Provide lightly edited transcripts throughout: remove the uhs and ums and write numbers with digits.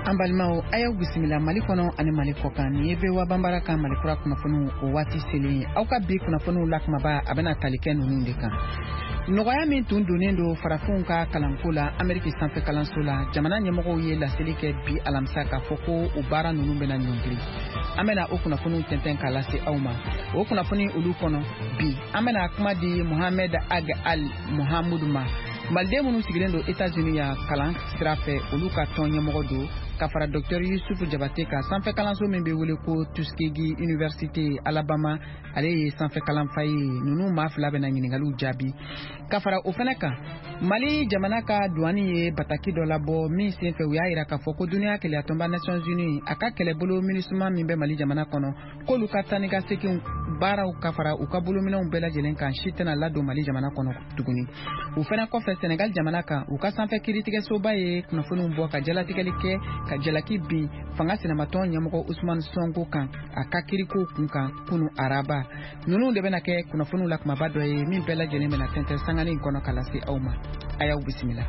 An balimaw, a y'aw bisimila Mali kɔnɔ ani Mali kɔkan. Nin ye VOA Banbara ka Mali kura kunnafoniw o waati selen ye. Aw ka bi kunnafoniw la kumaba, a bɛna tali kɛ ninnu de kan: nɔgɔya min tun donnen don farafinw ka kalanko la Ameriki sanfɛ kalanso la, jamana ɲɛmɔgɔw ye laseli kɛ bi alamisa k'a fɔ ko o baara ninnu bɛna ɲɔngiri. An bɛna o kunnafoniw tɛntɛn k'a lase aw ma. O kunnafoni olu kɔnɔ bi, an bɛna kuma di Mohamed Ag Al Mohamudu ma, maliden minnu sigilen don Etats-Unis yan kalan sira fɛ, olu ka tɔn ɲɛmɔgɔ don, ka fara Dr Yusufu Jabate ka sanfɛ kalanso min bɛ wele ko Tuskegee Université Alabama, ale ye sanfɛ kalanfa ye. Ninnu maa fila bɛna ɲininkaliw jaabi. Ka fara o fɛnɛ kan, Mali jamana ka duwani ye bataki dɔ labɔ min senfɛ u y'a yira k'a fɔ ko duniya kelenyatɔnba Nations Unies a ka kɛlɛbolo MINUSMA min bɛ Mali jamana kɔnɔ, k'olu ka taa ni ka segin baaraw ka fara u ka bolominɛnw bɛɛ lajɛlen kan si tɛna ladon Mali jamana kɔnɔ tuguni. O fɛnɛ kɔfɛ, Senegal jamana kan, u ka sanfɛ kiiritigɛsoba ye kunnafoniw bɔ ka jalatigɛli kɛ ka jalaki bin fanga sinamatɔn ɲɛmɔgɔ Usumani Sonko kan a ka kirikow kun kan kunu araba. Ninnu de bɛna kɛ kunnafoniw la kumaba dɔ ye min bɛɛ lajɛlen bɛna tɛntɛn sanganin kɔnɔ ka lase aw ma. A y'aw bisimila.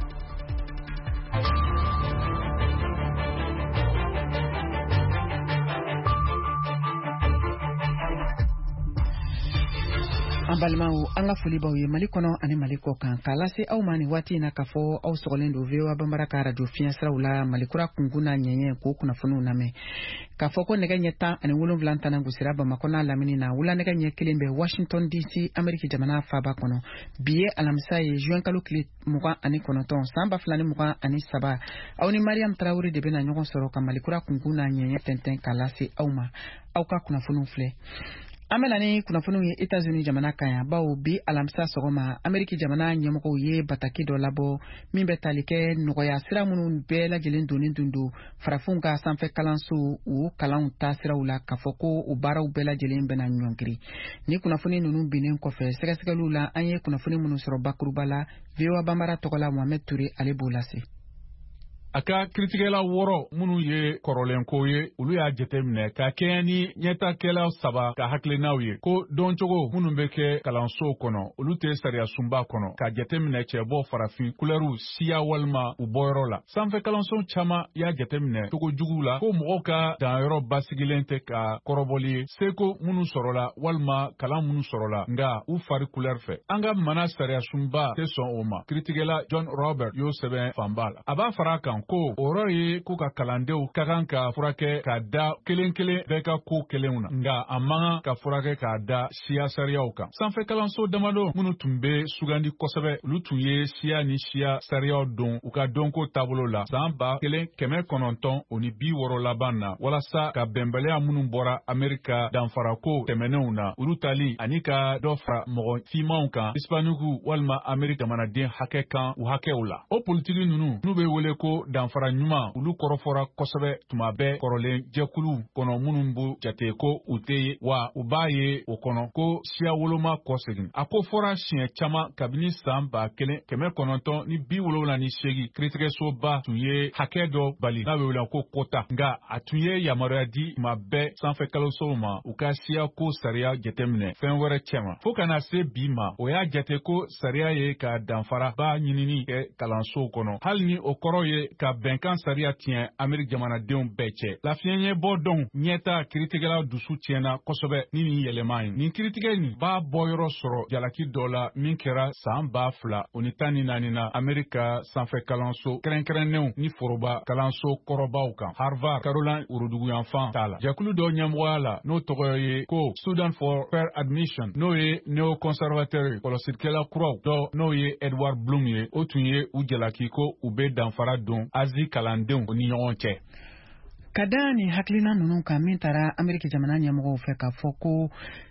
An balimaw, an ka foli b'aw ye Mali kɔnɔ ani Mali kɔ kan, k'a lase aw ma nin waati in na k'a fɔ aw sɔgɔlen don VOA Banbara ka radio fiɲɛsiraw la, Malikura kunkun n'a ɲɛɲɛ, k'o kunnafoniw lamɛn. K'a fɔ ko nɛgɛ ɲɛ 17 tana gosira Bamakɔ n'a lamini na, wula nɛgɛ ɲɛ 1 bɛ Washington DC, Ameriki jamana faaba kɔnɔ. Bi ye alamisa ye, juin kalo tile 29, san 2023. Aw ni Mariam Tarawele de bɛna ɲɔgɔn sɔrɔ ka Malikura kunkun n'a ɲɛɲɛ tɛntɛn k'a lase aw ma. Aw ka kunnafoniw filɛ. An bɛna ni kunnafoniw ye Etats-Unis jamana kan yan, bawo bi alamisa sɔgɔma, Ameriki jamana ɲɛmɔgɔw ye bataki dɔ labɔ min bɛ tali kɛ nɔgɔya sira minnu bɛɛ lajɛlen donnen tun don farafinw ka sanfɛ kalanso o kalanw taasiraw la, k'a fɔ ko o baaraw bɛɛ lajɛlen bɛna ɲɔngiri. Ni kunnafoni ninnu binnen kɔfɛ sɛgɛsɛgɛliw la, an ye kunnafoni minnu sɔrɔ bakuruba la, VOA Banbara tɔgɔ la, Mohamed Touré, ale b'o lase. A ka kiritigɛla wɔɔrɔ minnu ye kɔrɔlenko ye, olu y'a jateminɛ ka kɛɲɛ ni ɲɛtakɛla saba ka hakilinaw ye ko dɔncogo minnu bɛ kɛ kalansow kɔnɔ, olu tɛ sariyasunba kɔnɔ ka jateminɛ cɛbɔ, farafin, kulɛriw, siya walima u bɔyɔrɔ la. Sanfɛ kalanso caman y'a jateminɛ cogo jugu la ko mɔgɔw ka danyɔrɔ basigilen tɛ ka kɔrɔbɔli ye seko minnu sɔrɔla walima kalan minnu sɔrɔla, nka u fari kulɛri fɛ. An ka mana sariyasunba tɛ sɔn o ma, kiritigɛla John Robert y'o sɛbɛn fanba la. A b'a fara a kan ko o yɔrɔ ye ko ka kalandenw ka kan ka furakɛ ka da kelen kelen bɛɛ ka ko kelenw na, nka a man kan ka furakɛ k'a da siya sariyaw kan. Sanfɛ kalanso damadɔ minnu tun bɛ sugandi kosɛbɛ, olu tun ye siya ni siya sariyaw don u ka dɔnko taabolo la san 1960 laban na, walasa ka bɛnbaliya minnu bɔra Amerika danfarako tɛmɛnenw na, olu tali ani ka dɔ fara mɔgɔ finmanw kan, Hispaniku walima Amerika jamanaden hakɛ kan, u hakɛw la. O politiki ninnu n'u bɛ wele ko danfara ɲuman, olu kɔrɔfɔra kosɛbɛ tuma bɛɛ kɔrɔlen jɛkuluw kɔnɔ minnu b'u jate ko u tɛ ye wa u b'a ye o kɔnɔ ko siya woloma kɔsegin. A ko fɔra siɲɛ caman kabini san 1978, kiritigɛsoba tun ye hakɛ dɔ bali n'a bɛ wele ko quota, nka a tun ye yamaruya di tuma bɛɛ sanfɛ kalansow ma u ka siyako sariya jateminɛ fɛn wɛrɛ cɛma. Fo ka na se bi ma, o y'a jate ko sariya ye ka danfara ba ɲinini kɛ kalansow kɔnɔ, hali ni o kɔrɔ ye ka bɛnkan sariya tiɲɛ Ameriki jamanadenw bɛɛ cɛ. Lafiɲɛbɔ dɔn ɲɛta kiritigɛla dusu tiɲɛna kosɛbɛ ni nin yɛlɛma ye. Nin kiritigɛ nin b'a bɔyɔrɔ sɔrɔ jalaki dɔ la min kɛra san 2014 na Amerika sanfɛ kalanso kɛrɛnkɛrɛnnenw ni foroba kalanso kɔrɔbaw kan, Harvard, Caroline woroduguyanfan ta la, jɛkulu dɔ ɲɛmɔgɔya la n'o tɔgɔ ye ko Student for Fair Admission, n'o ye néoconservateur ye. Kɔlɔsilikɛla kuraw dɔ, n'o ye Edward Blum ye, o tun ye u jalaki ko u bɛ danfara don Azi kalandenw ni ɲɔgɔn cɛ. Ka da nin hakilina ninnu kan min taara Ameriki jamana ɲɛmɔgɔw fɛ k'a fɔ ko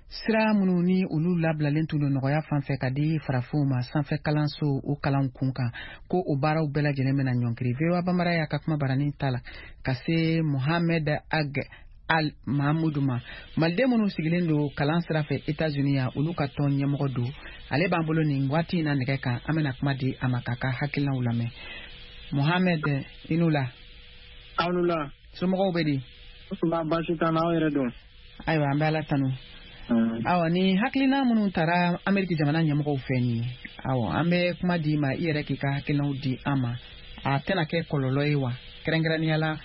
sira minnu ni olu labilalen tun don nɔgɔya fan fɛ ka di farafinw ma sanfɛ kalanso o kalanw kun kan, ko o baaraw bɛɛ lajɛlen bɛna ɲɔnkiri, VOA Banbara y'a ka kuma baranin ta la ka se Mohamed Ag Al Mahamudu ma, maliden minnu sigilen don kalan sira fɛ Etats-Unis yan, olu ka tɔn ɲɛmɔgɔ don. Ale b'an bolo nin waati in na nɛgɛ kan. An bɛna kuma di a ma k'a ka hakilinaw lamɛn. Mohamed, i n'u la. Aw ni la. Somɔgɔw bɛ di? Ba, baasi t'an na, aw yɛrɛ don? Ayiwa, an bɛ Ala tanu. Awa, ni hakilina minnu taara Ameriki jamana ɲɛmɔgɔw fɛ nin ye, awɔ, an bɛ kuma di ma, i yɛrɛ k'i ka hakilinaw di an ma. A tɛna kɛ kɔlɔlɔ ye wa, kɛrɛnkɛrɛnnenya la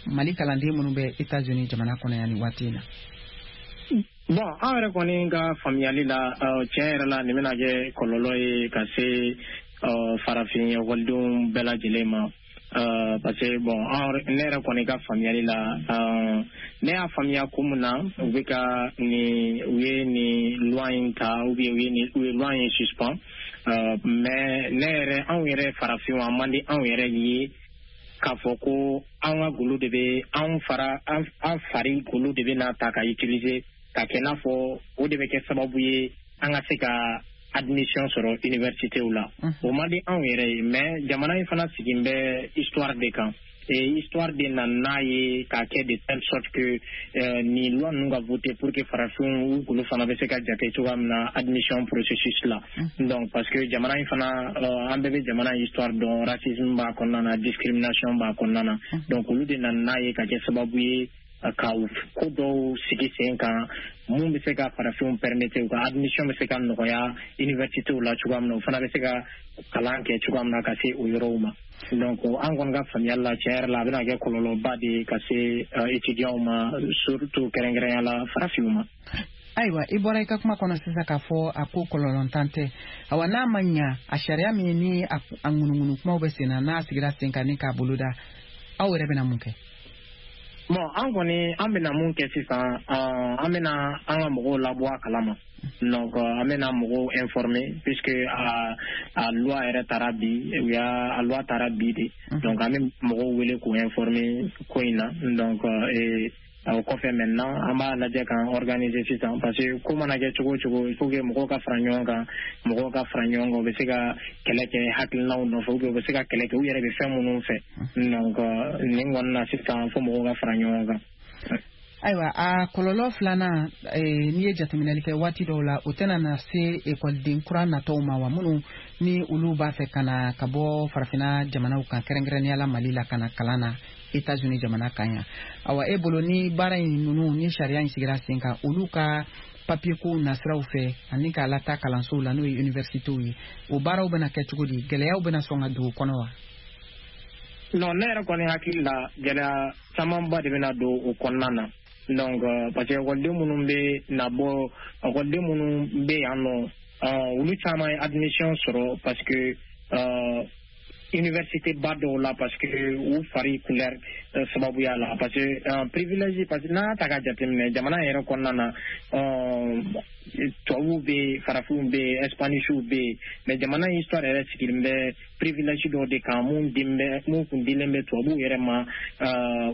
Mali kalanden minnu bɛ États-Unis jamana kɔnɔ yan nin waati in na? Bon, an yɛrɛ kɔni ka faamuyali la, tiɲɛ yɛrɛ la, nin bɛna kɛ kɔlɔlɔ ye ka se farafin ekɔlidenw bɛɛ lajɛlen ma. Parce que bon, ne yɛrɛ kɔni ka faamuyali la, ne y'a faamuya ko mun na u bɛ ka nin, u ye nin loi in ta ou bien u ye loi in suspend. Mais ne yɛrɛ, anw yɛrɛ farafinw, a man di anw yɛrɛ ye k'a fɔ ko an ka golo de bɛ an fara an fari golo de bɛ na ta ka utiliser ka kɛ n'a fɔ o de bɛ kɛ sababu ye an ka se ka admission sɔrɔ université la. O man di anw yɛrɛ ye, mais jamana in fana sigin bɛ histoire de kan, et histoire de na n'a ye k'a kɛ de telle sorte que nin loi ninnu ka voter pour que farafinw u golo fana bɛ se ka jate cogoya min na admission processus la. Donc parce que jamana in fana, an bɛɛ bɛ jamana in histoire dɔn, racisme b'a kɔnɔna na, discrimination b'a kɔnɔna na. Donc olu de nana n'a ye ka kɛ sababu ye ka ko dɔw sigi sen kan mun bɛ se ka farafinw permettre u ka admission bɛ se ka nɔgɔya université la cogoya min na, u fana bɛ se ka kalan kɛ cogoya min na ka se o yɔrɔw ma. Donc an kɔni ka faamuyali la, tiɲɛ yɛrɛ la, a bɛna kɛ kɔlɔlɔba de ye ka se étudiants ma, surtout kɛrɛnkɛrɛnya la farafinw ma. Ayiwa, i bɔra i ka kuma kɔnɔ sisan k'a fɔ a ko kɔlɔlɔntan tɛ. Awa, n'a ma ɲa, a sariya min ni a ŋunuŋunu kumaw bɛ sen na, n'a sigira sen kan ni k'a boloda, aw yɛrɛ bɛna mun kɛ? Bon, an kɔni, an bɛna mun kɛ sisan? An bɛna an ka mɔgɔw labɔ a kalama. Donc an bɛna mɔgɔw informer puisque a loi yɛrɛ taara bi, u y'a a loi taara bi de. Donc an bɛ mɔgɔw wele k'u informer ko in na. Donc o kɔfɛ maintenant, an b'a lajɛ k'an organiser sisan, parce que ko mana kɛ cogo o cogo, il faut que mɔgɔw ka fara ɲɔgɔn kan. Mɔgɔw ka fara ɲɔgɔn kan, u bɛ se ka kɛlɛ kɛ hakilinaw nɔfɛ ou bien u bɛ se ka kɛlɛ kɛ u yɛrɛ bɛ fɛn minnu fɛ. Donc nin kɔni na sisan, fo mɔgɔw ka fara ɲɔgɔn kan. Ayiwa, a kɔlɔlɔ filanan, n'i ye jateminɛli kɛ waati dɔw la, o tɛna na se ekɔliden kura natɔw ma wa, minnu ni olu b'a fɛ ka na ka bɔ farafinna jamanaw kan, kɛrɛnkɛrɛnnenya la Mali la, ka na kalan na États-Unis jamana kan yan? Awa, e bolo, ni baara in ninnu ni sariya in sigira sen kan, olu ka papier kow nasiraw fɛ ani k'a lataa kalansow la, n'o ye universitéw ye, o baaraw bɛna kɛ cogo di? Gɛlɛyaw bɛna sɔn ka don o kɔnɔ wa? Non, ne yɛrɛ kɔni hakili la, gɛlɛya camanba de bɛna don o kɔnɔna na. Donc parce que ekɔliden minnu bɛ na bɔ, ekɔliden minnu bɛ yan nɔ, olu caman ye admission sɔrɔ parce que université ba dɔw la, parce que u fari couleur sababuya la, parce que privilège, parce que n'a y'a ta ka jateminɛ jamana yɛrɛ kɔnɔna na, tubabuw bɛ yen, farafinw bɛ yen, hispaniciw bɛ yen, mais jamana histoire yɛrɛ sigilen bɛ privilège dɔw de kan mun den bɛ mun kun dilen bɛ tubabuw yɛrɛ ma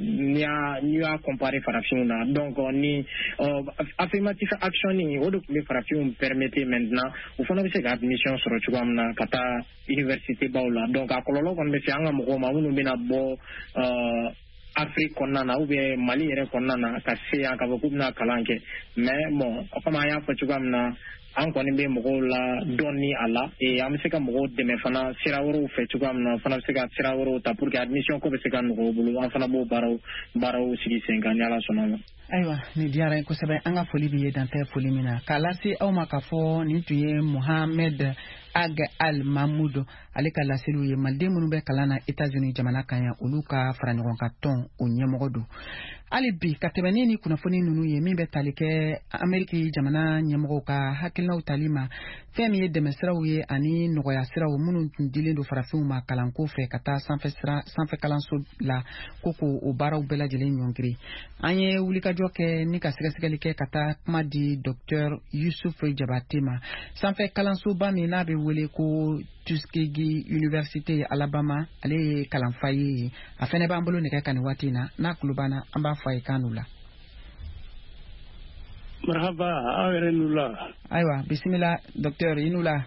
n'i y'a comparer farafinw na. Donc ni affirmative action ni o de tun bɛ farafinw permettre maintenant u fana bɛ se ka admission sɔrɔ cogoya min na ka taa université baw la. Donc a kɔlɔlɔ kɔni bɛ se an ka mɔgɔw ma minnu bɛna bɔ Afrique kɔnɔna na ou bien Mali yɛrɛ kɔnɔna na ka se yan k'a fɔ k'u bɛna kalan kɛ. Mais bon, comme an y'a fɔ cogoya min na, an kɔni bɛ mɔgɔw la dɔɔni a la et an bɛ se ka mɔgɔw dɛmɛ fana sira wɛrɛw fɛ cogoya min na, fana bɛ se ka sira wɛrɛw ta pour que admission ko bɛ se ka nɔgɔya u bolo. An fana b'o baaraw sigi sen kan ni Ala sɔnna ma. Ayiwa, nin diyara n ye kosɛbɛ. An ka foli b'i ye, dantɛ foli min na k'a lase aw ma k'a fɔ nin tun ye Mohamed Ag Al Mahmoud, ale ka laseliw ye. Maliden minnu bɛ kalan na États-Unis jamana kan yan, olu ka fara ɲɔgɔn kan tɔn o ɲɛmɔgɔ don. Hali bi ka tɛmɛ ni kunnafoni ninnu ye min bɛ tali kɛ Ameriki jamana ɲɛmɔgɔw ka hakilinaw tali ma, fɛn min ye dɛmɛsiraw ye ani nɔgɔya siraw minnu tun dilen don farafinw ma kalanko fɛ ka taa sanfɛ kalanso la, ko k'o o baaraw bɛɛ lajɛlen ɲɔngiri, an ye wulikajɔ kɛ ni ka sɛgɛsɛgɛli kɛ ka taa kuma di Dr Yusuf Jabate ma, sanfɛ kalansoba min n'a bɛ wele ko Tuskegee Université Alabama, ale ye kalanfa ye. A fɛnɛ b'an bolo nɛgɛ kan nin waati in na. N'a tulo b'an na, an b'a fɔ a ye k'an n'u la. Marhaba, aw yɛrɛ n'u la. Ayiwa, bisimila docteur, i n'u la.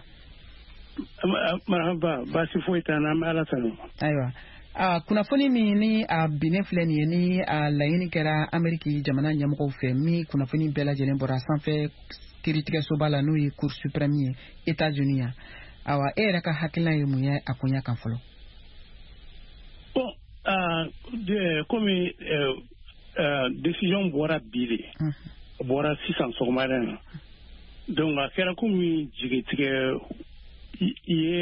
Marhaba, baasi foyi t'an na, an bɛ Ala tanu. Ayiwa, a kunnafoni min ni a binnen filɛ nin ye, ni a laɲini kɛra Ameriki jamana ɲɛmɔgɔw fɛ, min kunnafoni bɛɛ lajɛlen bɔra sanfɛ kiiritigɛsoba la, n'o ye Cour suprême ye États-Unis yan, awa, e yɛrɛ ka hakilina ye mun ye a koɲɛ kan fɔlɔ? Bon, komi décision bɔra bi de, bɔra sisan sɔgɔmada in na, donc a kɛra komi jigitigɛ ye.